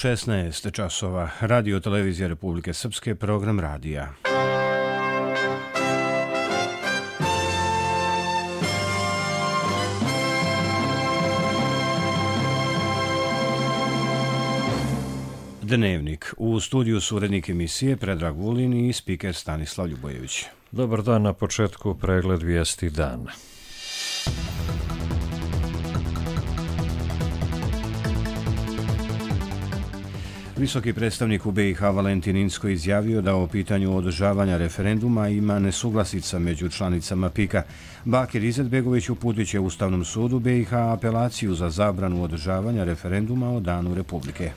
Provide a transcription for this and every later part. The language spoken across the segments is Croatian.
16 časova. Radio televizija Republike Srpske, program radija. Dnevnik. U studiju su urednik emisije Predrag Vulin i spiker Stanislav Ljubojević. Dobar dan, na početku pregled vijesti dana. Visoki predstavnik u BiH Valentin Inzko izjavio da o pitanju održavanja referenduma ima nesuglasica među članicama PIK-a. Bakir Izetbegović uputit će Ustavnom sudu BiH apelaciju za zabranu održavanja referenduma o Danu Republike.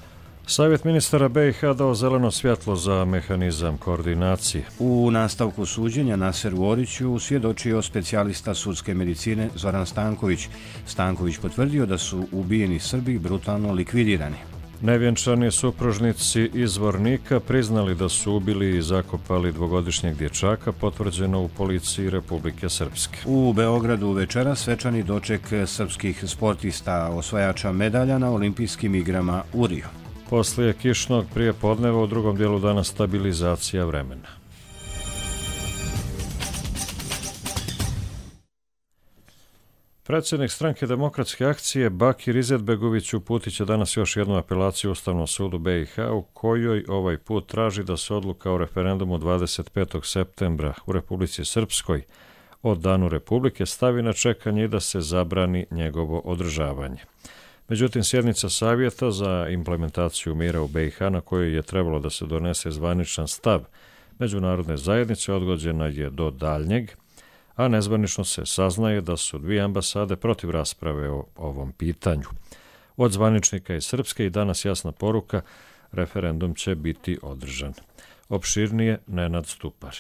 Savjet ministara BiH dao zeleno svjetlo za mehanizam koordinacije. U nastavku suđenja Naseru Oriću svjedočio specijalista sudske medicine Zoran Stanković. Stanković potvrdio da su ubijeni Srbi brutalno likvidirani. Nevjenčani supružnici iz Vornika priznali da su ubili i zakopali dvogodišnjeg dječaka, potvrđeno u policiji Republike Srpske. U Beogradu večera svečani doček srpskih sportista, osvajača medalja na olimpijskim igrama u Riju. Poslije kišnog prijepodneva u drugom dijelu dana stabilizacija vremena. Predsjednik stranke Demokratske akcije Bakir Izetbegović uputit će danas još jednu apelaciju Ustavnom sudu BiH u kojoj ovaj put traži da se odluka o referendumu 25. septembra u Republici Srpskoj o Danu Republike stavi na čekanje i da se zabrani njegovo održavanje. Međutim, sjednica Savjeta za implementaciju mira u BiH na kojoj je trebalo da se donese zvaničan stav međunarodne zajednice odgođena je do daljnjeg, a nezvanično se saznaje da su dvije ambasade protiv rasprave o ovom pitanju. Od zvaničnika iz Srpske i danas jasna poruka, referendum će biti održan. Opširnije Nenad Stupar.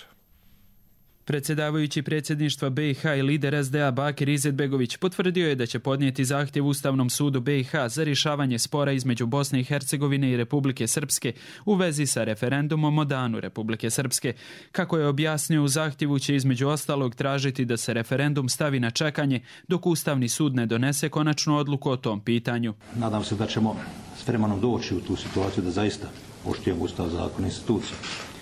Predsjedavajući predsjedništva BiH i lider SDA Bakir Izetbegović potvrdio je da će podnijeti zahtjev Ustavnom sudu BiH za rješavanje spora između Bosne i Hercegovine i Republike Srpske u vezi sa referendumom o Danu Republike Srpske. Kako je objasnio, u zahtjevu će između ostalog tražiti da se referendum stavi na čekanje dok Ustavni sud ne donese konačnu odluku o tom pitanju. Nadam se da ćemo s vremenom doći u tu situaciju da zaista poštujemo Ustav, zakon i institucije.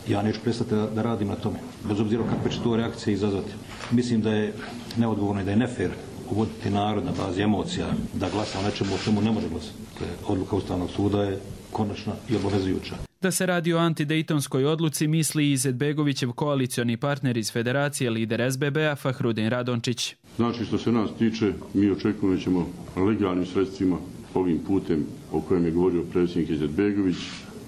Ja neću prestati da radim na tome, bez obzira kakve će to reakcije izazvati. Mislim da je neodgovorno i da je nefer uvoditi narod na bazi emocija, da glasa o nečemu o čemu ne može glasati. Odluka Ustavnog suda je konačna i obavezujuća. Da se radi o antidejtonskoj odluci misli Izetbegovićev koalicioni partner iz Federacije, lider SBB-a Fahrudin Radončić. Znači, što se nas tiče, mi očekujemo da ćemo legalnim sredstvima ovim putem o kojem je govorio predsjednik Izetbegović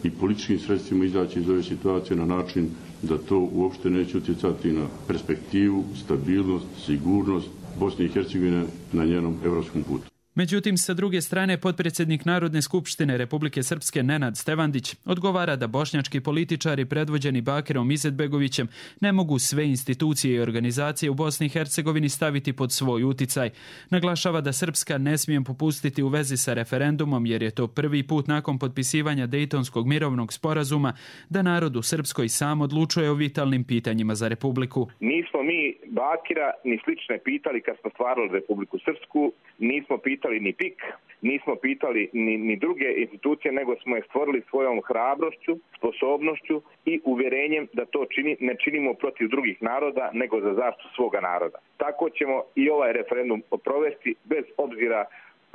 i političkim sredstvima izaći iz ove situacije na način da to uopšte neće utjecati na perspektivu, stabilnost, sigurnost Bosne i Hercegovine na njenom evropskom putu. Međutim, sa druge strane, potpredsjednik Narodne skupštine Republike Srpske Nenad Stevandić odgovara da bošnjački političari predvođeni Bakirom Izetbegovićem ne mogu sve institucije i organizacije u Bosni i Hercegovini staviti pod svoj uticaj. Naglašava da Srpska ne smije popustiti u vezi sa referendumom jer je to prvi put nakon potpisivanja Dejtonskog mirovnog sporazuma da narod u Srpskoj sam odlučuje o vitalnim pitanjima za Republiku. Nismo mi Bakira ni slične pitali kad smo stvarali Republiku Srpsku, nismo pitali ni PIK, nismo pitali ni druge institucije, nego smo je stvorili svojom hrabrošću, sposobnošću i uvjerenjem da to ne činimo protiv drugih naroda, nego za zaštitu svoga naroda. Tako ćemo i ovaj referendum provesti bez obzira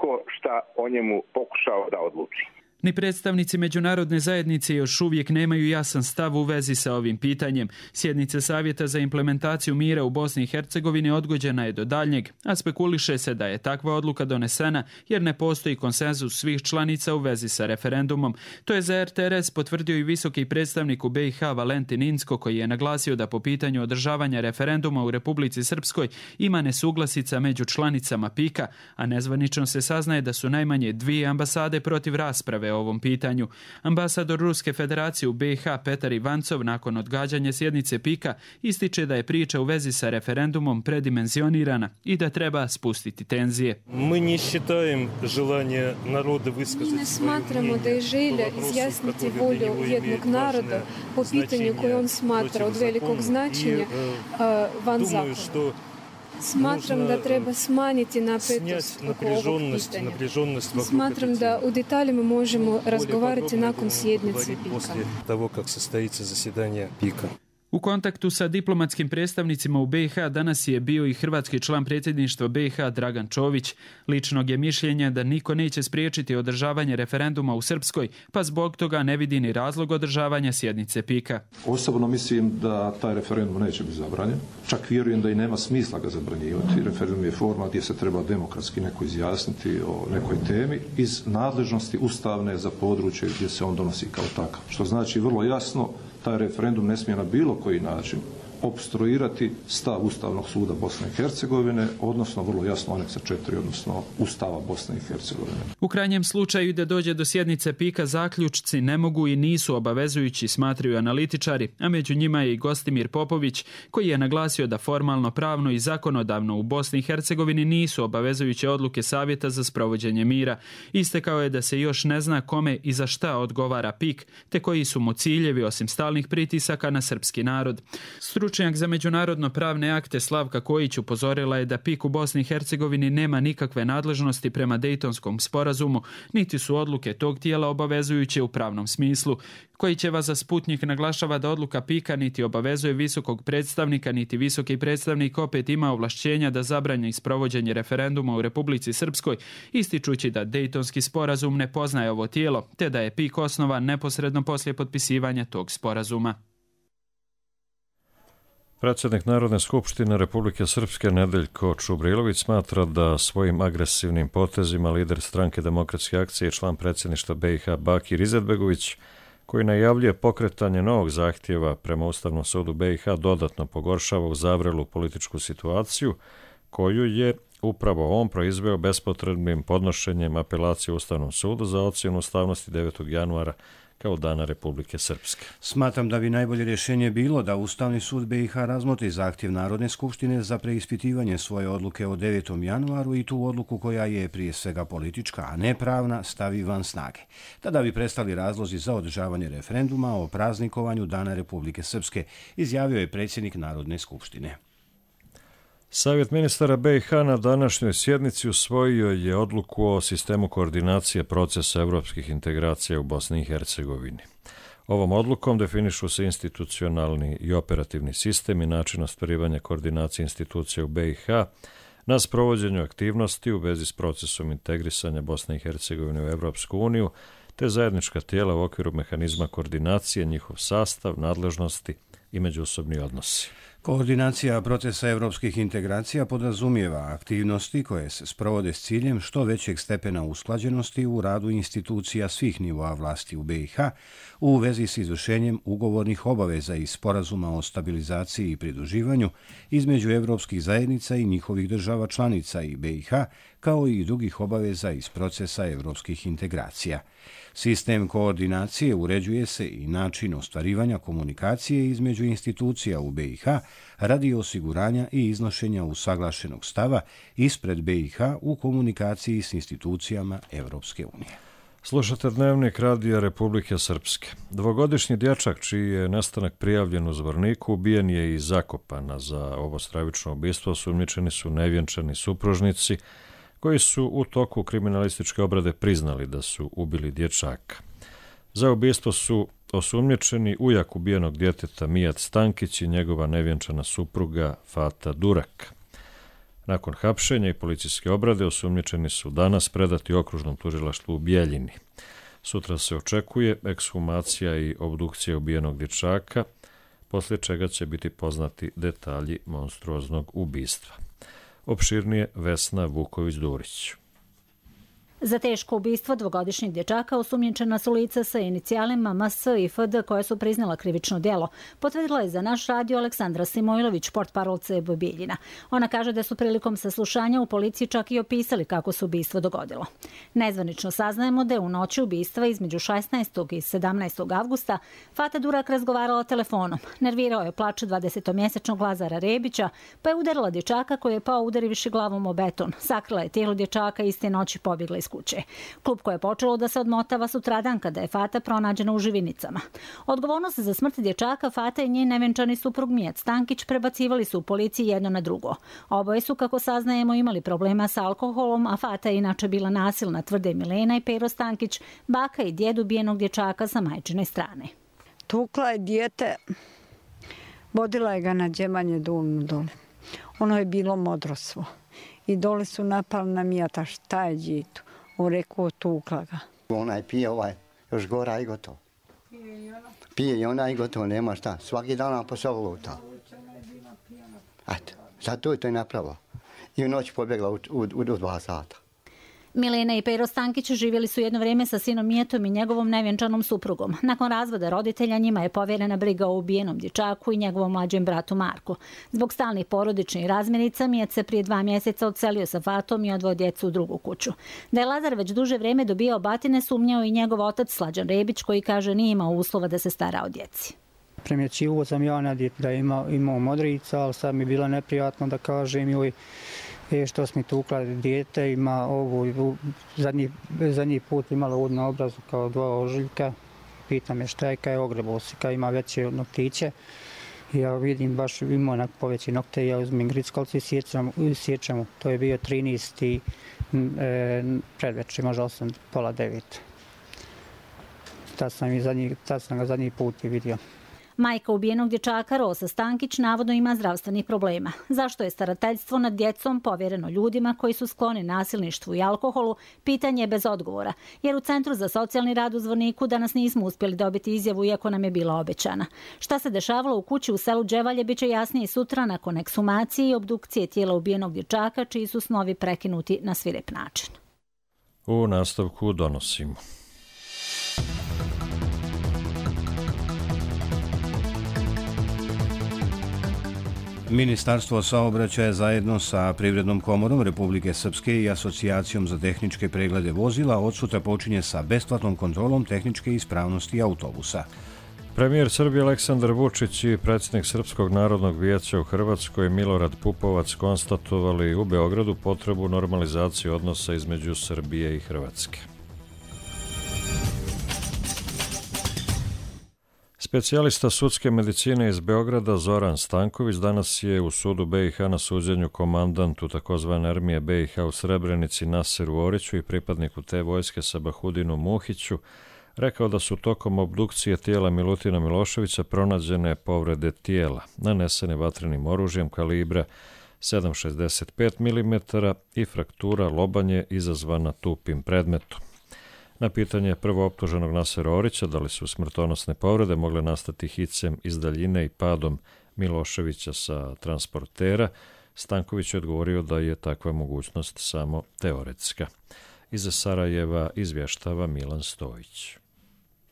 ko šta o njemu pokušao da odluči. Ni predstavnici međunarodne zajednice još uvijek nemaju jasan stav u vezi sa ovim pitanjem. Sjednica Savjeta za implementaciju mira u Bosni i Hercegovini odgođena je do daljnjeg, a spekuliše se da je takva odluka donesena jer ne postoji konsenzus svih članica u vezi sa referendumom. To je za RTRS potvrdio i visoki predstavnik u BiH Valentin Inzko, koji je naglasio da po pitanju održavanja referenduma u Republici Srpskoj ima nesuglasica među članicama PIK-a, a nezvanično se saznaje da su najmanje dvije ambasade protiv rasprave o ovom pitanju. Ambasador Ruske federacije u BiH Petar Ivancov nakon odgađanja sjednice PIK-a ističe da je priča u vezi sa referendumom predimenzionirana i da treba spustiti tenzije. Mi ne smatramo da je želja izjasniti volju jednog naroda po pitanju koje on smatra od velikog značenja van zakona. Smatram da treba smanjiti napetost oko ovog pitanja. Smatram da u detaljima možemo razgovarati nakon sjednice PIK-a. U kontaktu sa diplomatskim predstavnicima u BiH danas je bio i hrvatski član predsjedništva BiH Dragan Čović. Ličnog je mišljenja da niko neće spriječiti održavanje referenduma u Srpskoj, pa zbog toga ne vidi ni razlog održavanja sjednice PIK-a. Osobno mislim da taj referendum neće biti zabranjen. Čak vjerujem da i nema smisla ga zabranjivati. Referendum je forma gdje se treba demokratski neko izjasniti o nekoj temi iz nadležnosti ustavne za područje gdje se on donosi kao takav. Što znači vrlo jasno, taj referendum ne smije na bilo koji način opstruirati stav Ustavnog suda Bosne i Hercegovine, odnosno vrlo jasno aneksa 4, odnosno Ustava Bosne i Hercegovine. U krajnjem slučaju da dođe do sjednice PIK-a zaključci ne mogu i nisu obavezujući, smatraju analitičari, a među njima je i Gostimir Popović, koji je naglasio da formalno, pravno i zakonodavno u Bosni i Hercegovini nisu obavezujuće odluke Savjeta za sprovođenje mira. Istekao je da se još ne zna kome i za šta odgovara PIK, te koji su mu ciljevi osim stalnih pritisaka na srpski narod. Stručnjak za međunarodno pravne akte Slavka Kojić upozorila je da PIK u Bosni i Hercegovini nema nikakve nadležnosti prema Dejtonskom sporazumu, niti su odluke tog tijela obavezujuće u pravnom smislu. Kojićeva za Sputnjik naglašava da odluka PIK-a niti obavezuje visokog predstavnika, niti visoki predstavnik opet ima ovlašćenja da zabrani sprovođenje referenduma u Republici Srpskoj, ističući da Dejtonski sporazum ne poznaje ovo tijelo, te da je PIK osnovan neposredno poslije potpisivanja tog sporazuma. Predsjednik Narodne skupštine Republike Srpske Nedeljko Čubrilović smatra da svojim agresivnim potezima lider stranke Demokratske akcije i član predsjedništva BiH Bakir Izetbegović, koji najavljuje pokretanje novog zahtjeva prema Ustavnom sudu BiH, dodatno pogoršava uzavrelu političku situaciju koju je upravo on proizveo bespotrebnim podnošenjem apelacije Ustavnom sudu za ocjenu ustavnosti 9. januara kao dana Republike Srpske. Smatram da bi najbolje rješenje bilo da Ustavni sud BiH razmotri zahtjev Narodne skupštine za preispitivanje svoje odluke o 9. januaru i tu odluku koja je prije svega politička, a ne pravna, stavi van snage. Tada bi prestali razlozi za održavanje referenduma o praznikovanju dana Republike Srpske, izjavio je predsjednik Narodne skupštine. Savjet ministara BiH na današnjoj sjednici usvojio je odluku o sistemu koordinacije procesa evropskih integracija u Bosni i Hercegovini. Ovom odlukom definišu se institucionalni i operativni sistem i način ostvarivanja koordinacije institucija u BiH na sprovođenju aktivnosti u vezi s procesom integrisanja Bosne i Hercegovine u Evropsku uniju, te zajednička tijela u okviru mehanizma koordinacije, njihov sastav, nadležnosti i međusobni odnosi. Koordinacija procesa evropskih integracija podrazumijeva aktivnosti koje se sprovode s ciljem što većeg stepena usklađenosti u radu institucija svih nivoa vlasti u BiH u vezi s izvršenjem ugovornih obaveza i sporazuma o stabilizaciji i pridruživanju između evropskih zajednica i njihovih država članica i BiH, kao i drugih obaveza iz procesa evropskih integracija. Sistem koordinacije uređuje se i način ostvarivanja komunikacije između institucija u BiH radi osiguranja i iznošenja usaglašenog stava ispred BiH u komunikaciji s institucijama Evropske unije. Slušate Dnevnik Radija Republike Srpske. Dvogodišnji dječak čiji je nestanak prijavljen u Zvorniku ubijen je i zakopan, a za ovo stravično ubistvo osumnjičeni su nevjenčani supružnici koji su u toku kriminalističke obrade priznali da su ubili dječaka. Za ubistvo su osumnjičeni ujak ubijenog djeteta Mijat Stankić i njegova nevjenčana supruga Fata Durak. Nakon hapšenja i policijske obrade osumnjičeni su danas predati okružnom tužilaštvu u Bijeljini. Sutra se očekuje ekshumacija i obdukcija ubijenog dječaka, poslije čega će biti poznati detalji monstruoznog ubistva. Opširnije Vesna Vuković-Durić. Za teško ubistvo dvogodišnjeg dječaka osumnjičena su lica sa inicijalima MS i FD koje su priznala krivično djelo. Potvrdila je za naš radio Aleksandra Simojlović, portparol CB Bijeljina. Ona kaže da su prilikom saslušanja u policiji čak i opisali kako se ubistvo dogodilo. Nezvanično saznajemo da je u noći ubistva između 16. i 17. avgusta Fata Durak razgovarala telefonom. Nervirao je plač 20-mjesečnog Lazara Rebića, pa je udarila dječaka koji je pao udarivši glavom o beton. Sakrila je tijelo dječaka i iste noći pobjegla iz kuće. Klub koje je počelo da se odmotava sutradan kada je Fata pronađena u Živinicama. Odgovornost za smrt dječaka Fata i njen nevenčani suprug Mijat Stankić prebacivali su u policiji jedno na drugo. Oboje su, kako saznajemo, imali problema sa alkoholom, a Fata je inače bila nasilna, tvrde Milena i Pero Stankić, baka i djed ubijenog dječaka sa majčine strane. Tukla je dijete, vodila je ga na džemanje dulnu dole. Ono je bilo modrostvo. I dole su napali na Mijata, šta je djetu? On rekao, tukla ga. Onaj pije, još gora i gotovo. Pije i ona i gotovo, nema šta. Svaki dan nam posao luta. Eto, zato je to i napravila. I u noć pobjegla u 2 sata. Milena i Pero Stankić živjeli su jedno vrijeme sa sinom Mijetom i njegovom nevjenčanom suprugom. Nakon razvoda roditelja njima je povjerena briga o ubijenom dječaku i njegovom mlađem bratu Marku. Zbog stalnih porodičnih razmirica Mijet se prije 2 mjeseca odselio sa Fatom i odveo djecu u drugu kuću. Da je Lazar već duže vrijeme dobijao batine, sumnjao i njegov otac Slađan Rebić, koji kaže nije imao uslova da se stara o djeci. Primjećivo sam ja na djetu da je imao modrica, ali sad mi je bilo neprijatno da kažem joj što smo tukla dijete, ima ovo, zadnji put imala ovdje na obrazu kao 2 ožiljka. Pitam je šta je, kaj je ogrebosika, ima veće noktiće. Ja vidim baš ima onak poveći nokte, ja uzmem grickalci i sjećam. To je bio 13. predvečer, možda 8, pola 9. Tad sam ga zadnji put i vidio. Majka ubijenog dječaka Rosa Stankić navodno ima zdravstvenih problema. Zašto je starateljstvo nad djecom povjereno ljudima koji su skloni nasilništvu i alkoholu, pitanje je bez odgovora, jer u Centru za socijalni rad u Zvorniku danas nismo uspjeli dobiti izjavu iako nam je bila obećana. Šta se dešavalo u kući u selu Đevalje biće jasnije sutra nakon ekshumacije i obdukcije tijela ubijenog dječaka, čiji su snovi prekinuti na svirep način. U nastavku donosimo. Ministarstvo saobraćaja zajedno sa Privrednom komorom Republike Srpske i Asocijacijom za tehničke preglede vozila od sutra počinje sa besplatnom kontrolom tehničke ispravnosti autobusa. Premijer Srbije Aleksandar Vučić i predsjednik Srpskog narodnog vijeća u Hrvatskoj Milorad Pupovac konstatovali u Beogradu potrebu normalizacije odnosa između Srbije i Hrvatske. Specijalista sudske medicine iz Beograda Zoran Stanković danas je u sudu BiH na suđenju komandantu tzv. Armije BiH u Srebrenici Naseru Oriću i pripadniku te vojske Sabahudinu Muhiću rekao da su tokom obdukcije tijela Milutina Miloševića pronađene povrede tijela, nanesene vatrenim oružjem kalibra 7,65 mm i fraktura lobanje izazvana tupim predmetom. Na pitanje prvooptuženog Nasera Orića da li su smrtonosne povrede mogle nastati hicem iz daljine i padom Miloševića sa transportera, Stanković je odgovorio da je takva mogućnost samo teoretska. Iz Sarajeva izvještava Milan Stojić.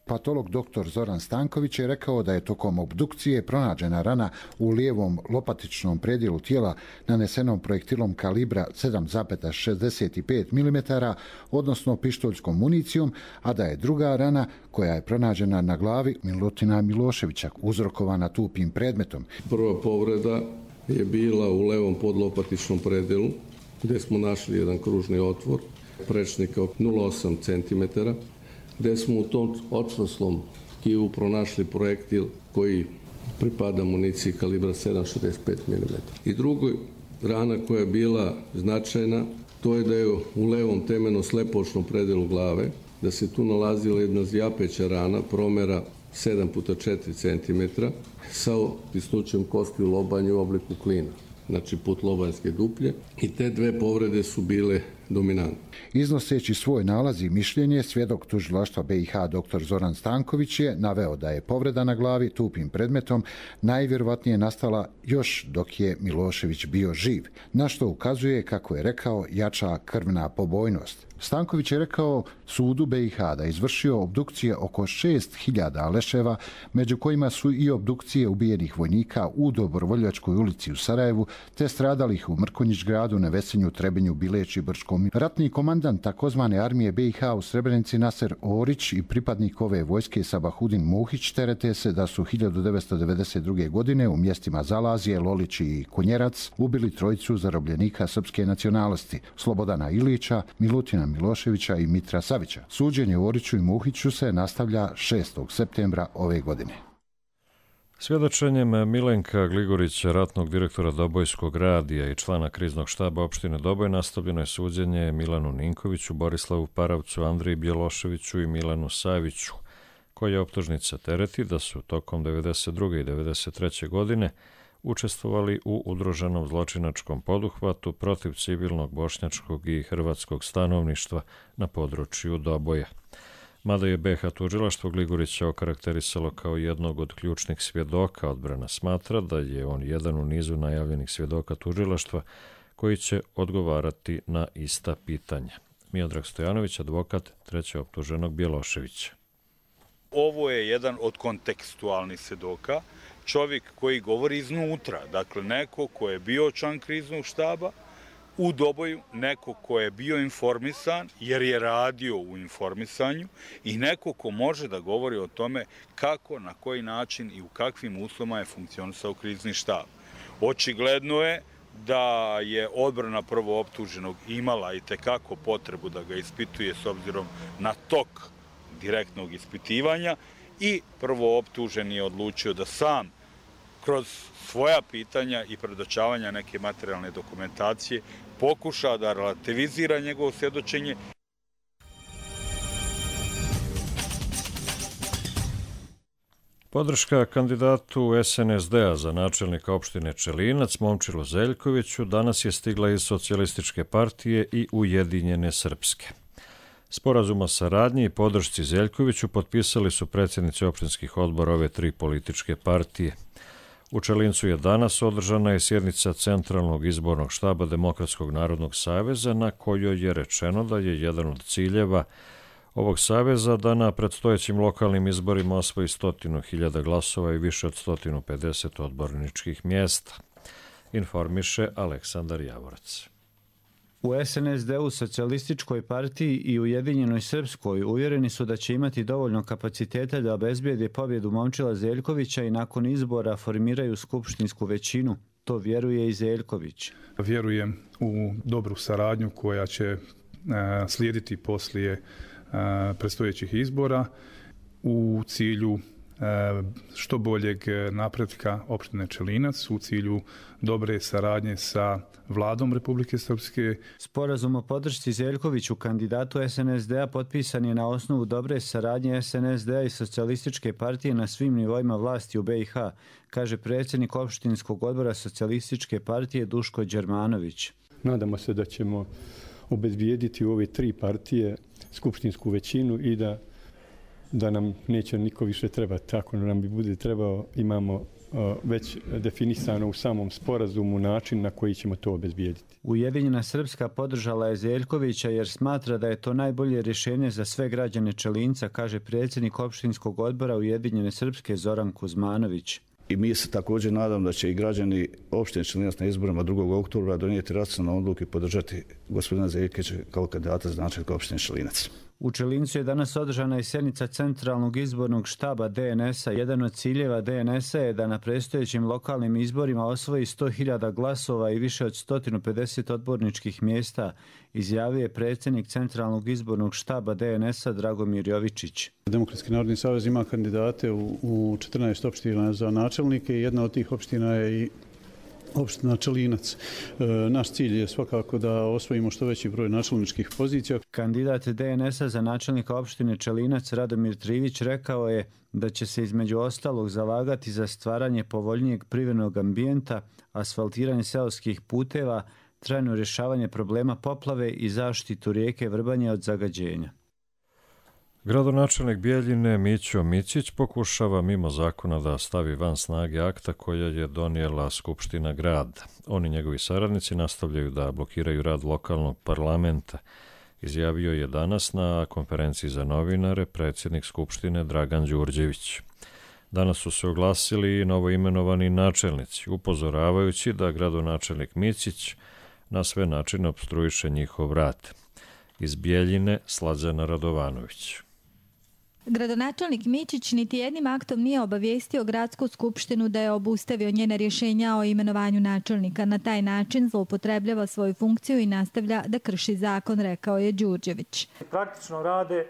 Patolog dr. Zoran Stanković je rekao da je tokom obdukcije pronađena rana u lijevom lopatičnom predjelu tijela nanesenom projektilom kalibra 7,65 mm, odnosno pištoljskom municijom, a da je druga rana koja je pronađena na glavi Milutina Miloševića uzrokovana tupim predmetom. Prva povreda je bila u levom podlopatičnom predjelu gdje smo našli jedan kružni otvor prečnika 0,8 cm, gdje smo u tom očvrsnom tkivu pronašli projektil koji pripada municiji kalibra 7,65 mm. I druga rana koja je bila značajna, to je da je u levom temeno-slepočnom predelu glave, da se tu nalazila jedna zjapeća rana promjera 7x4 cm sa tisnućem kosti u lobanju u obliku klina, znači put lobanjske duplje, i te dve povrede su bile dominantne. Iznoseći svoj nalaz i mišljenje, svjedok tužilaštva BiH dr. Zoran Stanković je naveo da je povreda na glavi tupim predmetom najvjerovatnije nastala još dok je Milošević bio živ, na što ukazuje, kako je rekao, jača krvna pobojnost. Stanković je rekao sudu BiH da je izvršio obdukcije oko 6.000 leševa, među kojima su i obdukcije ubijenih vojnika u Dobrovoljačkoj ulici u Sarajevu, te stradalih u Mrkonjić gradu, Nevesinju, Trebinju, Bileći, Brčkom prilikom. Ratni komandant takozvane armije BiH u Srebrenici Naser Orić i pripadnik ove vojske Sabahudin Muhić terete se da su 1992. godine u mjestima Zalazije, Lolić i Konjerac ubili trojicu zarobljenika srpske nacionalnosti, Slobodana Ilića, Milutina Miloševića i Mitra Savića. Suđenje Oriću i Muhiću se nastavlja 6. septembra ove godine. Svjedočenjem Milenka Gligorića, ratnog direktora Dobojskog radija i člana kriznog štaba opštine Doboj, nastavljeno je suđenje Milanu Ninkoviću, Borislavu Paravcu, Andriji Bjeloševiću i Milanu Saviću, koje optužnica tereti da su tokom 1992. i 1993. godine učestvovali u udruženom zločinačkom poduhvatu protiv civilnog bošnjačkog i hrvatskog stanovništva na području Doboja. Mada je BiH tužilaštvo Gligorića okarakterisalo kao jednog od ključnih svjedoka, odbrana smatra da je on jedan u nizu najavljenih svjedoka tužilaštva koji će odgovarati na ista pitanja. Miodrag Stojanović, advokat treće optuženog Bjeloševića. Ovo je jedan od kontekstualnih svjedoka, čovjek koji govori iznutra, dakle neko ko je bio član kriznog štaba u Doboju, neko ko je bio informisan jer je radio u informisanju i neko ko može da govori o tome kako, na koji način i u kakvim uslovima je funkcionisao krizni štab. Očigledno je da je odbrana prvooptuženog imala i tekako potrebu da ga ispituje s obzirom na tok direktnog ispitivanja i prvooptuženi je odlučio da sam kroz svoja pitanja i predočavanja neke materijalne dokumentacije pokuša da relativizira njegovo svjedočenje. Podrška kandidatu SNSD-a za načelnika opštine Čelinac, Momčilu Zeljkoviću, danas je stigla iz Socijalističke partije i Ujedinjene Srpske. Sporazum o saradnji i podršci Zeljkoviću potpisali su predsjednici opštinskih odbora ove tri političke partije. U Čelincu je danas održana je sjednica Centralnog izbornog štaba Demokratskog narodnog saveza, na kojoj je rečeno da je jedan od ciljeva ovog saveza da na predstojećim lokalnim izborima osvoji 100.000 glasova i više od 150 odborničkih mjesta, informiše Aleksandar Javorac. U SNSD-u, Socijalističkoj partiji i Ujedinjenoj Srpskoj uvjereni su da će imati dovoljno kapaciteta da obezbijede pobjedu Momčila Zeljkovića i nakon izbora formiraju skupštinsku većinu. To vjeruje i Zeljković. Vjerujem u dobru saradnju koja će slijediti poslije predstojećih izbora u cilju što boljeg napretka opštine Čelinac, u cilju dobre saradnje sa vladom Republike Srpske. Sporazum o podršci Zeljkoviću kandidatu SNSD-a potpisan je na osnovu dobre saradnje SNSD-a i Socijalističke partije na svim nivoima vlasti u BiH, kaže predsjednik opštinskog odbora Socijalističke partije Duško Đermanović. Nadamo se da ćemo obezbijediti u ove tri partije skupštinsku većinu i da nam neće niko više trebati. Ako nam bi bude trebao, imamo već definisano u samom sporazumu način na koji ćemo to obezbijediti. Ujedinjena Srpska podržala je Zeljkovića jer smatra da je to najbolje rješenje za sve građane Čelinca, kaže predsjednik opštinskog odbora Ujedinjene Srpske Zoran Kuzmanović. I mi se također nadam da će i građani opštine Čelinac na izborima 2. oktobra donijeti racionalnu odluku i podržati gospodina Zeljkovića kao kandidata za načelnika opštine Čelinac. U Čelincu je danas održana i sjednica Centralnog izbornog štaba DNS-a. Jedan od ciljeva DNS-a je da na predstojećim lokalnim izborima osvoji 100.000 glasova i više od 150 odborničkih mjesta, izjavio je predsjednik Centralnog izbornog štaba DNS-a Dragomir Jovičić. Demokratski narodni savez ima kandidate u 14 opština za načelnike i jedna od tih opština je i opština Čelinac. Naš cilj je svakako da osvojimo što veći broj načelničkih pozicija. Kandidat DNS-a za načelnika opštine Čelinac Radomir Trivić rekao je da će se između ostalog zalagati za stvaranje povoljnijeg privrednog ambijenta, asfaltiranje seoskih puteva, trajno rješavanje problema poplave i zaštitu rijeke Vrbanje od zagađenja. Gradonačelnik Bijeljine Mićo Mićić pokušava mimo zakona da stavi van snage akta koja je donijela Skupština grada. Oni i njegovi saradnici nastavljaju da blokiraju rad lokalnog parlamenta, izjavio je danas na konferenciji za novinare predsjednik Skupštine Dragan Đurđević. Danas su se oglasili i novoimenovani načelnici, upozoravajući da gradonačelnik Mićić na sve načine opstruiše njihov rad. Iz Bijeljine, Slađana Radovanović. Gradonačelnik Mićić niti jednim aktom nije obavijestio Gradsku skupštinu da je obustavio njene rješenja o imenovanju načelnika. Na taj način zloupotrebljava svoju funkciju i nastavlja da krši zakon, rekao je Đurđević. Praktično rade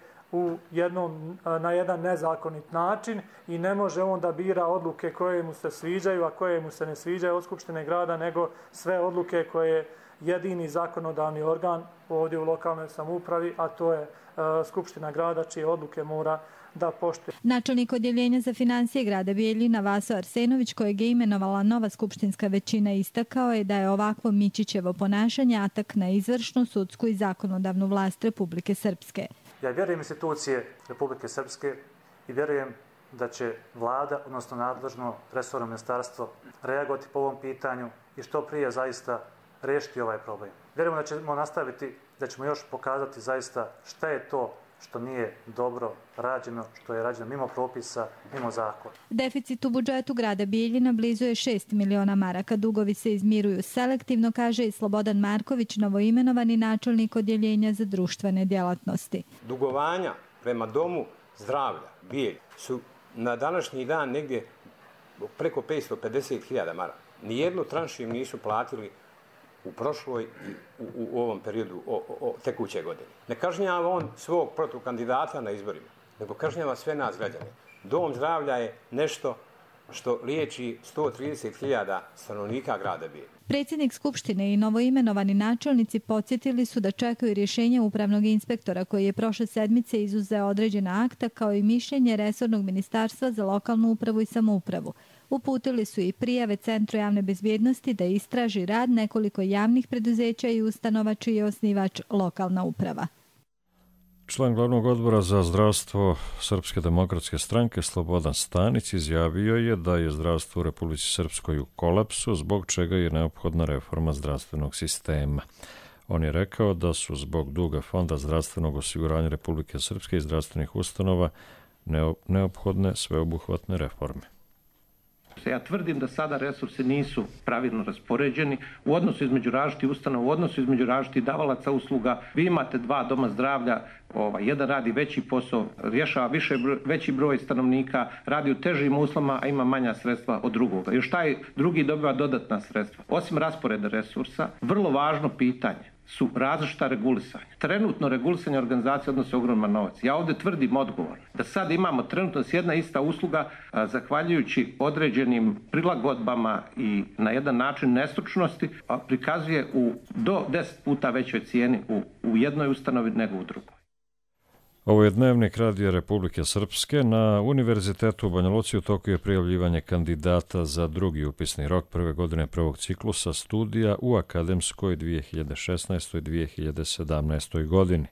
na jedan nezakonit način i ne može on da bira odluke koje mu se sviđaju, a koje mu se ne sviđaju od Skupštine grada, nego sve odluke koje jedini zakonodavni organ ovdje u lokalnoj samoupravi, a to je Skupština grada, čije odluke mora da poštuje. Načelnik odjeljenja za financije grada Bijeljina Vaso Arsenović, kojeg je imenovala nova skupštinska većina, istakao je da je ovakvo Mićićevo ponašanje atak na izvršnu, sudsku i zakonodavnu vlast Republike Srpske. Ja vjerujem institucije Republike Srpske i vjerujem da će vlada, odnosno nadležno resorno ministarstvo, reagovati po ovom pitanju i što prije zaista riješiti ovaj problem. Vjerujemo da ćemo nastaviti, da ćemo još pokazati zaista šta je to što nije dobro rađeno, što je rađeno mimo propisa, mimo zakona. Deficit u budžetu grada Bijeljina blizu je 6 miliona maraka. Dugovi se izmiruju selektivno, kaže i Slobodan Marković, novoimenovani načelnik odjeljenja za društvene djelatnosti. Dugovanja prema domu zdravlja Bijelj su na današnji dan negdje preko 550.000 maraka. Nijednu tranšu im nisu platili u prošloj i u ovom periodu tekuće godine. Ne kažnjava on svog protukandidata na izborima, nego kažnjava sve nas građane. Dom zdravlja je nešto što liječi 130.000 stanovnika grada Bijeljine. Predsjednik Skupštine i novoimenovani načelnici podsjetili su da čekaju rješenje upravnog inspektora koji je prošle sedmice izuzeo određena akta kao i mišljenje resornog ministarstva za lokalnu upravu i samoupravu. Uputili su i prijave Centru javne bezbjednosti da istraži rad nekoliko javnih preduzeća i ustanova čiji je osnivač lokalna uprava. Član glavnog odbora za zdravstvo Srpske demokratske stranke Slobodan Stanić izjavio je da je zdravstvo u Republici Srpskoj u kolapsu, zbog čega je neophodna reforma zdravstvenog sistema. On je rekao da su zbog duga Fonda zdravstvenog osiguranja Republike Srpske i zdravstvenih ustanova neophodne sveobuhvatne reforme. Ja tvrdim da sada resursi nisu pravilno raspoređeni u odnosu između različitih ustanova, u odnosu između različitih davalaca usluga. Vi imate 2 doma zdravlja, jedan radi veći posao, rješava veći broj stanovnika, radi u težim uslovima, a ima manja sredstva od drugoga. Još taj drugi dobiva dodatna sredstva. Osim rasporeda resursa, vrlo važno pitanje su različita regulisanja. Trenutno regulisanje organizacije odnosi ogroman novac. Ja ovdje tvrdim odgovorno da sad imamo trenutno jedna ista usluga zahvaljujući određenim prilagodbama i na jedan način nestručnosti prikazuje do 10 puta većoj cijeni u jednoj ustanovi nego u drugoj. Ovo je Dnevnik Radija Republike Srpske. Na Univerzitetu u Banja Luci u toku je prijavljivanje kandidata za drugi upisni rok prve godine prvog ciklusa studija u akademskoj 2016-2017. godini.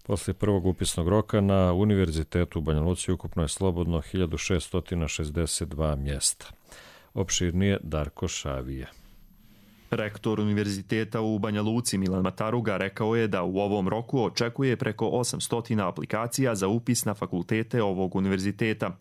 Poslije prvog upisnog roka na Univerzitetu u Banja Luci ukupno je slobodno 1662 mjesta. Opširnije Darko Šavija. Rektor Univerziteta u Banja Luci Milan Mataruga rekao je da u ovom roku očekuje preko 800 aplikacija za upis na fakultete ovog univerziteta.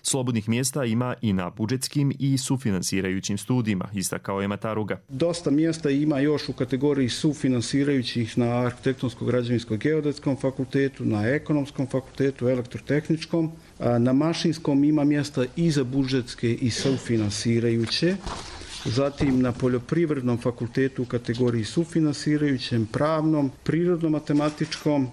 Slobodnih mjesta ima i na budžetskim i sufinansirajućim studijima, istakao je Mataruga. Dosta mjesta ima još u kategoriji sufinansirajućih na arhitektonsko-građevinsko-geodetskom fakultetu, na ekonomskom fakultetu, elektrotehničkom. Na mašinskom ima mjesta i za budžetske i sufinansirajuće. Zatim na poljoprivrednom fakultetu u kategoriji sufinansirajućem, pravnom, prirodno-matematičkom,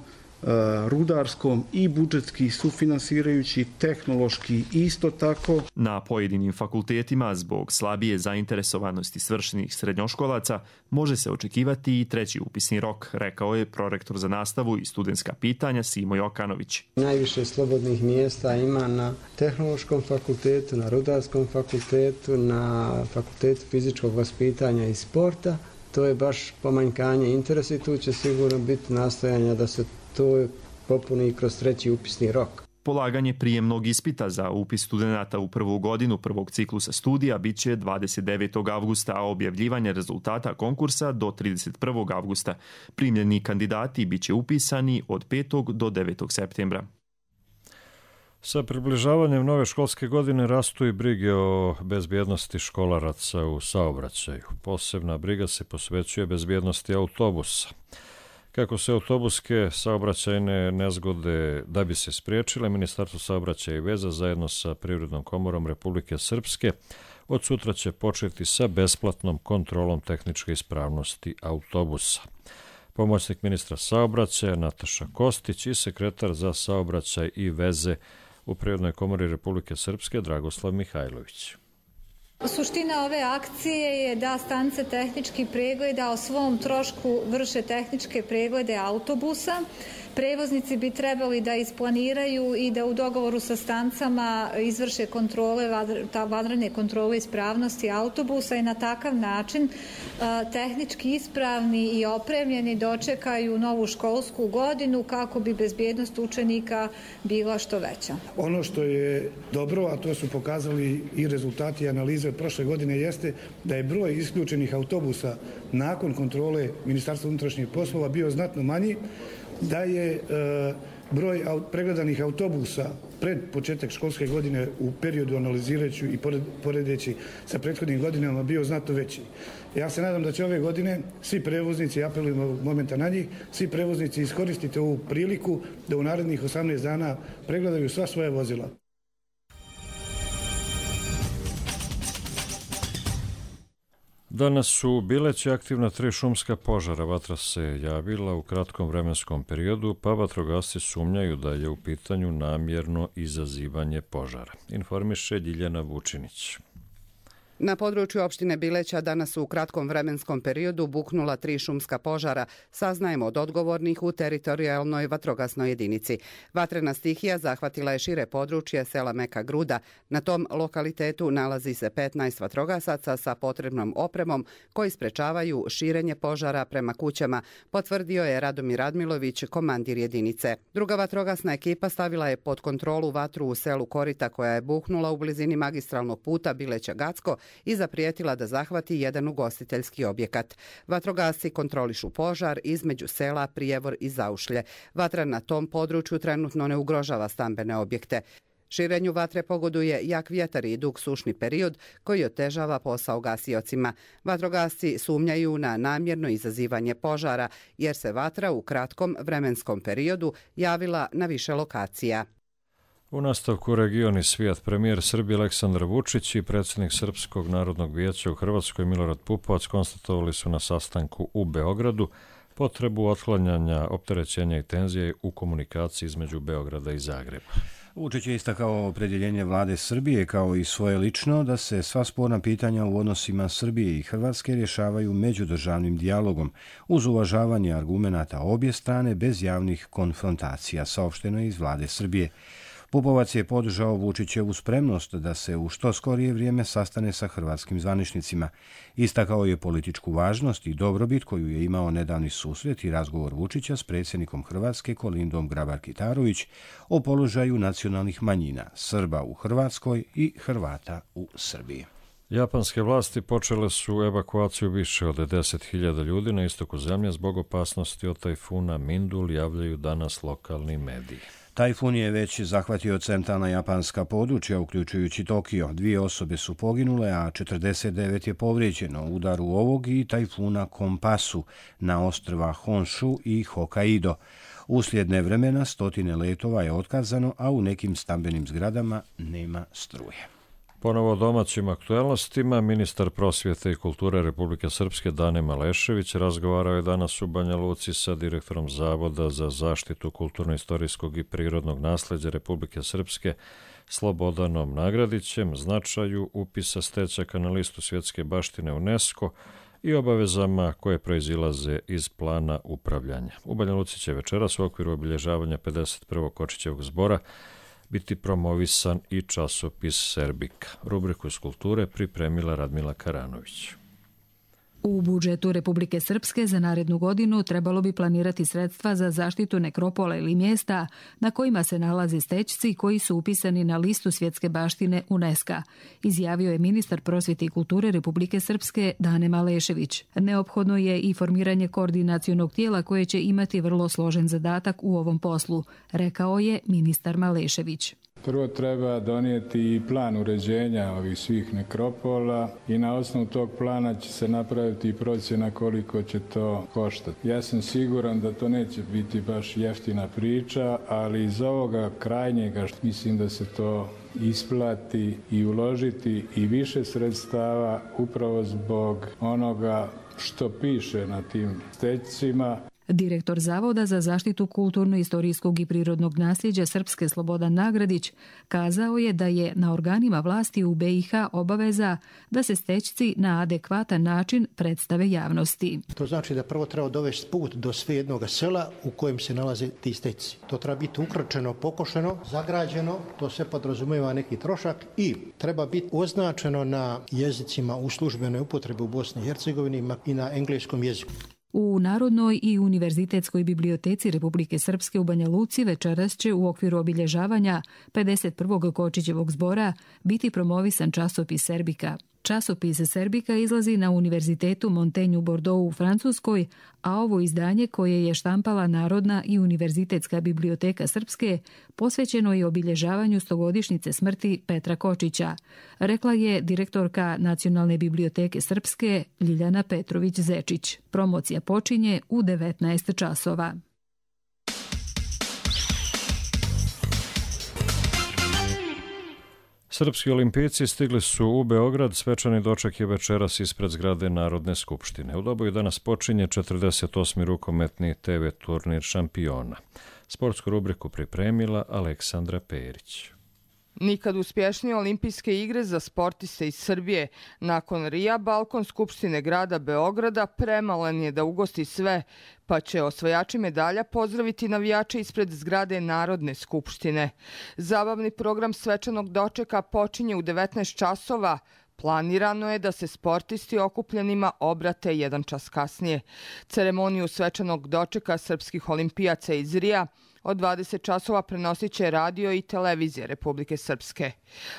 rudarskom i budžetski sufinansirajući, tehnološki isto tako. Na pojedinim fakultetima zbog slabije zainteresovanosti svršenih srednjoškolaca može se očekivati i treći upisni rok, rekao je prorektor za nastavu i studentska pitanja Simo Jokanović. Najviše slobodnih mjesta ima na tehnološkom fakultetu, na rudarskom fakultetu, na fakultetu fizičkog vaspitanja i sporta. To je baš pomanjkanje interesa i tu će sigurno biti nastojanja da se to popuni i kroz treći upisni rok. Polaganje prijemnog ispita za upis studenata u prvu godinu prvog ciklusa studija bit će 29. avgusta, a objavljivanje rezultata konkursa do 31. avgusta. Primljeni kandidati bit će upisani od 5. do 9. septembra. Sa približavanjem nove školske godine rastu i brige o bezbjednosti školaraca u saobraćaju. Posebna briga se posvećuje bezbjednosti autobusa. Kako se autobuske saobraćajne nezgode da bi se spriječile, Ministarstvo saobraćaja i veza zajedno sa Privrednom komorom Republike Srpske od sutra će početi sa besplatnom kontrolom tehničke ispravnosti autobusa. Pomoćnik ministra saobraćaja Nataša Kostić i sekretar za saobraćaj i veze u Privrednoj komori Republike Srpske Dragoslav Mihajlović. Suština ove akcije je da stanice tehničkih pregleda o svom trošku vrše tehničke preglede autobusa. Prevoznici bi trebali da isplaniraju i da u dogovoru sa stanicama izvrše kontrole, vanredne kontrole ispravnosti autobusa i na takav način tehnički ispravni i opremljeni dočekaju novu školsku godinu kako bi bezbjednost učenika bila što veća. Ono što je dobro, a to su pokazali i rezultati analize od prošle godine, jeste da je broj isključenih autobusa nakon kontrole Ministarstva unutrašnjih poslova bio znatno manji, da je broj pregledanih autobusa pred početak školske godine u periodu analizirajući i poredeći sa prethodnim godinama bio znatno veći. Ja se nadam da će ove godine svi prevoznici, apelujemo momenta na njih, svi prevoznici iskoristite ovu priliku da u narednih 18 dana pregledaju sva svoja vozila. Danas su u Bileći aktivna 3 šumska požara. Vatra se javila u kratkom vremenskom periodu, pa vatrogasci sumnjaju da je u pitanju namjerno izazivanje požara. Informiše Ljiljana Vučinić. Na području opštine Bileća danas u kratkom vremenskom periodu buknula 3 šumska požara, saznajemo od odgovornih u teritorijalnoj vatrogasnoj jedinici. Vatrena stihija zahvatila je šire područje sela Meka Gruda. Na tom lokalitetu nalazi se 15 vatrogasaca sa potrebnom opremom koji sprečavaju širenje požara prema kućama, potvrdio je Radomir Radmilović, komandir jedinice. Druga vatrogasna ekipa stavila je pod kontrolu vatru u selu Korita koja je buknula u blizini magistralnog puta Bileća-Gacko i zaprijetila da zahvati jedan ugostiteljski objekat. Vatrogasci kontrolišu požar između sela Prijevor i Zaušlje. Vatra na tom području trenutno ne ugrožava stambene objekte. Širenju vatre pogoduje jak vjetar i dug sušni period koji otežava posao gasiocima. Vatrogasci sumnjaju na namjerno izazivanje požara jer se vatra u kratkom vremenskom periodu javila na više lokacija. U nastavku Region i svijet, premijer Srbije Aleksandar Vučić i predsjednik Srpskog narodnog vijeća u Hrvatskoj Milorad Pupovac konstatovali su na sastanku u Beogradu potrebu otklanjanja opterećenja i tenzije u komunikaciji između Beograda i Zagreba. Vučić je istakao opredjeljenje vlade Srbije kao i svoje lično da se sva sporna pitanja u odnosima Srbije i Hrvatske rješavaju međudržavnim dijalogom uz uvažavanje argumenata obje strane bez javnih konfrontacija, saopšteno je iz vlade Srbije. Pupovac je podržao Vučićevu spremnost da se u što skorije vrijeme sastane sa hrvatskim zvaničnicima. Istakao je političku važnost i dobrobit koju je imao nedavni susret i razgovor Vučića s predsjednikom Hrvatske Kolindom Grabar-Kitarović o položaju nacionalnih manjina, Srba u Hrvatskoj i Hrvata u Srbiji. Japanske vlasti počele su evakuaciju više od 10.000 ljudi na istoku zemlje zbog opasnosti od tajfuna Mindul, javljaju danas lokalni mediji. Tajfun je već zahvatio centralna japanska područja, uključujući Tokio. 2 osobe su poginule, a 49 je povrijeđeno u udaru ovog i tajfuna Kompasu na ostrva Honshu i Hokkaido. Uslijed nevremena 100 letova je otkazano, a u nekim stambenim zgradama nema struje. Ponovo o domaćim aktuelnostima, ministar prosvjete i kulture Republike Srpske Dane Malešević razgovarao je danas u Banja Luci sa direktorom Zavoda za zaštitu kulturno-istorijskog i prirodnog nasljeđa Republike Srpske Slobodanom Nagradićem, značaju upisa Stećaka na listu svjetske baštine UNESCO i obavezama koje proizilaze iz plana upravljanja. U Banja Luci će večeras u okviru obilježavanja 51. Kočićevog zbora biti promovisan i časopis Serbika. Rubriku iz kulture pripremila Radmila Karanović. U budžetu Republike Srpske za narednu godinu trebalo bi planirati sredstva za zaštitu nekropola ili mjesta na kojima se nalaze stećci koji su upisani na listu svjetske baštine UNESCO, izjavio je ministar prosvjete i kulture Republike Srpske Dane Malešević. Neophodno je i formiranje koordinacionog tijela koje će imati vrlo složen zadatak u ovom poslu, rekao je ministar Malešević. Prvo treba donijeti i plan uređenja ovih svih nekropola i na osnovu tog plana će se napraviti i procjena koliko će to koštati. Ja sam siguran da to neće biti baš jeftina priča, ali iz ovoga krajnjega mislim da se to isplati i uložiti i više sredstava upravo zbog onoga što piše na tim stećcima. Direktor Zavoda za zaštitu kulturno-istorijskog i prirodnog nasljeđa Srpske Slobodan Nagradić kazao je da je na organima vlasti u BiH obaveza da se stećci na adekvatan način predstave javnosti. To znači da prvo treba dovesti put do sve jednog sela u kojem se nalaze ti stećci. To treba biti ukročeno, pokošeno, zagrađeno, to sve podrazumijeva neki trošak i treba biti označeno na jezicima u službenoj upotrebi u Bosni i Hercegovini i na engleskom jeziku. U Narodnoj i Univerzitetskoj biblioteci Republike Srpske u Banja Luci večeras će u okviru obilježavanja 51. Kočićevog zbora biti promovisan časopis Serbika. Časopis Serbika izlazi na Univerzitetu Montaigne u Bordeauxu u Francuskoj, a ovo izdanje koje je štampala Narodna i Univerzitetska biblioteka Srpske posvećeno je obilježavanju 100-godišnjice smrti Petra Kočića, rekla je direktorka Nacionalne biblioteke Srpske Ljiljana Petrović-Zečić. Promocija počinje u 19 časova. Srpski olimpijci stigli su u Beograd, svečani doček je večeras ispred zgrade Narodne skupštine. U Doboju danas počinje 48. rukometni TV turnir šampiona. Sportsku rubriku pripremila Aleksandra Perić. Nikad uspješnije olimpijske igre za sportiste iz Srbije. Nakon Rija, balkon Skupštine grada Beograda premalen je da ugosti sve, pa će osvajači medalja pozdraviti navijače ispred zgrade Narodne skupštine. Zabavni program svečanog dočeka počinje u 19 časova. Planirano je da se sportisti okupljenima obrate 1 čas kasnije. Ceremoniju svečanog dočeka srpskih olimpijaca iz Rija od 20 časova prenosit će radio i televizija Republike Srpske.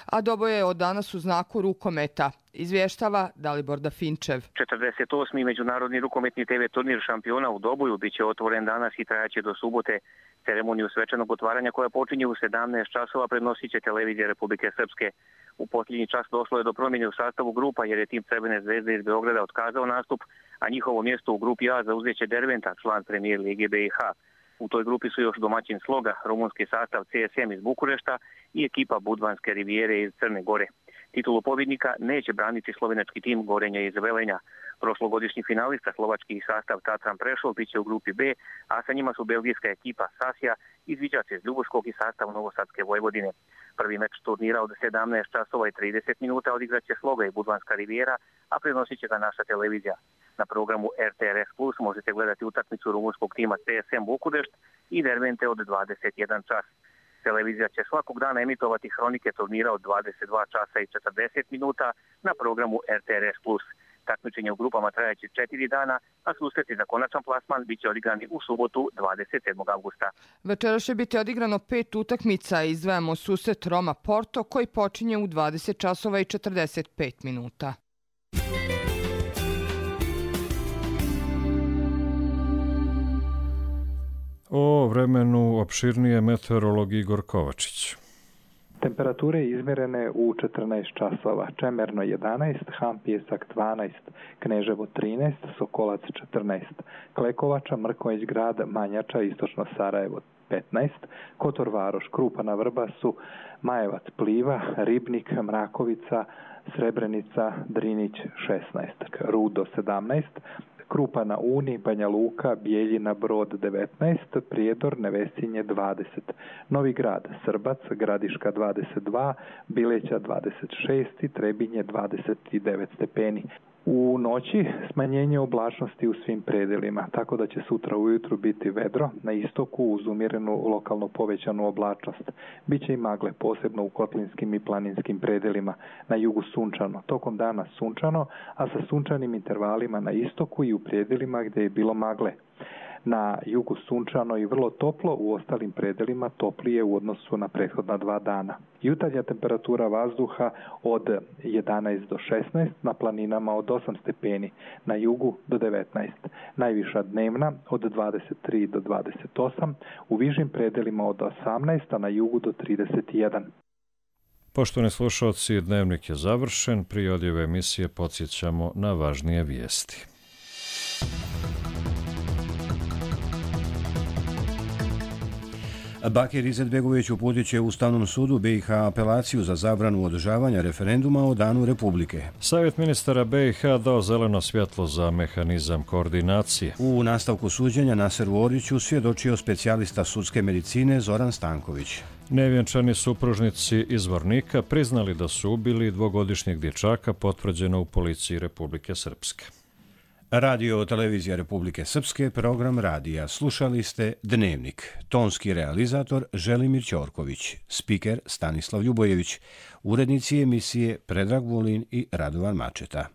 A Doboj je od danas u znaku rukometa. Izvještava Dalibor Dafinčev. 48. međunarodni rukometni TV turnir šampiona u Doboju biće otvoren danas i trajaće do subote. Ceremoniju svečanog otvaranja koja počinje u 17 časova prenosit će televizija Republike Srpske. U posljednji čas došlo je do promjene u sastavu grupa jer je tim Crvene zvezde iz Beograda otkazao nastup, a njihovo mjesto u grupi A zauzeće Derventa, član premijer Lige BiH. U toj grupi su još domaćin Sloga, rumunski sastav CSM iz Bukurešta i ekipa Budvanske rivijere iz Crne Gore. Titulu pobjednika neće braniti slovenački tim Gorenja iz Velenja. Prošlogodišnji finalista slovački sastav Tatran Prešov biće u grupi B, a sa njima su belgijska ekipa Sasija iz Viđace iz Ljubuškog i sastav Novosadske Vojvodine. Prvi meč turnira od 17 časova i 30 minuta odigraće Sloga i Budvanska rivijera, a prenosit će ga naša televizija. Na programu RTRS Plus možete gledati utakmicu rumunskog tima CSM Bukurešt i Dervente od 21 čas. Televizija će svakog dana emitovati hronike turnira od 22 časa i 40 minuta na programu RTRS Plus. Takmičenje u grupama trajaće 4 dana, a susreti za konačan plasman biće odigrani u subotu 27. avgusta. Večera će biti odigrano 5 utakmica. Izdvajamo susret Roma Porto koji počinje u 20 časova i 45 minuta. O vremenu opširnije meteorolog Igor Kovačić. Temperature izmjerene u 14 časova. Čemerno 11, Hampjesak 12, Kneževo 13, Sokolac 14, Klekovača, Mrkonjić grad, Manjača, Istočno Sarajevo 15, Kotor Varoš, Krupana Vrbasu, Majevac Pliva, Ribnik, Mrakovica, Srebrenica, Drinić 16, Rudo 17, Krupa na Uni, Banja Luka, Bijeljina, Brod 19, Prijedor, Nevesinje 20, Novi Grad, Srbac, Gradiška 22, Bileća 26 i Trebinje 29 stepeni. U noći smanjenje oblačnosti u svim predelima, tako da će sutra ujutru biti vedro, na istoku uz umjerenu lokalno povećanu oblačnost. Biće i magle, posebno u kotlinskim i planinskim predelima, na jugu sunčano, tokom dana sunčano, a sa sunčanim intervalima na istoku i u predelima gdje je bilo magle. Na jugu sunčano i vrlo toplo, u ostalim predelima toplije u odnosu na prethodna 2 dana. Jutarnja temperatura vazduha od 11 do 16, na planinama od 8 stepeni, na jugu do 19. Najviša dnevna od 23 do 28, u višim predelima od 18, a na jugu do 31. Poštovani slušalci, dnevnik je završen. Prije odjave emisije podsjećamo na važnije vijesti. Bakir Izetbegović uputit će Ustavnom sudu BiH apelaciju za zabranu održavanja referenduma o Danu Republike. Savjet ministara BiH dao zeleno svjetlo za mehanizam koordinacije. U nastavku suđenja Naseru Oriću svjedočio specijalista sudske medicine Zoran Stanković. Nevjenčani supružnici iz Vornika priznali da su ubili 2-godišnjeg dječaka, potvrđeno u policiji Republike Srpske. Radio televizija Republike Srpske, program radija. Slušali ste Dnevnik. Tonski realizator Želimir Ćorković, spiker Stanislav Ljubojević, urednici emisije Predrag Vulin i Radovan Mačeta.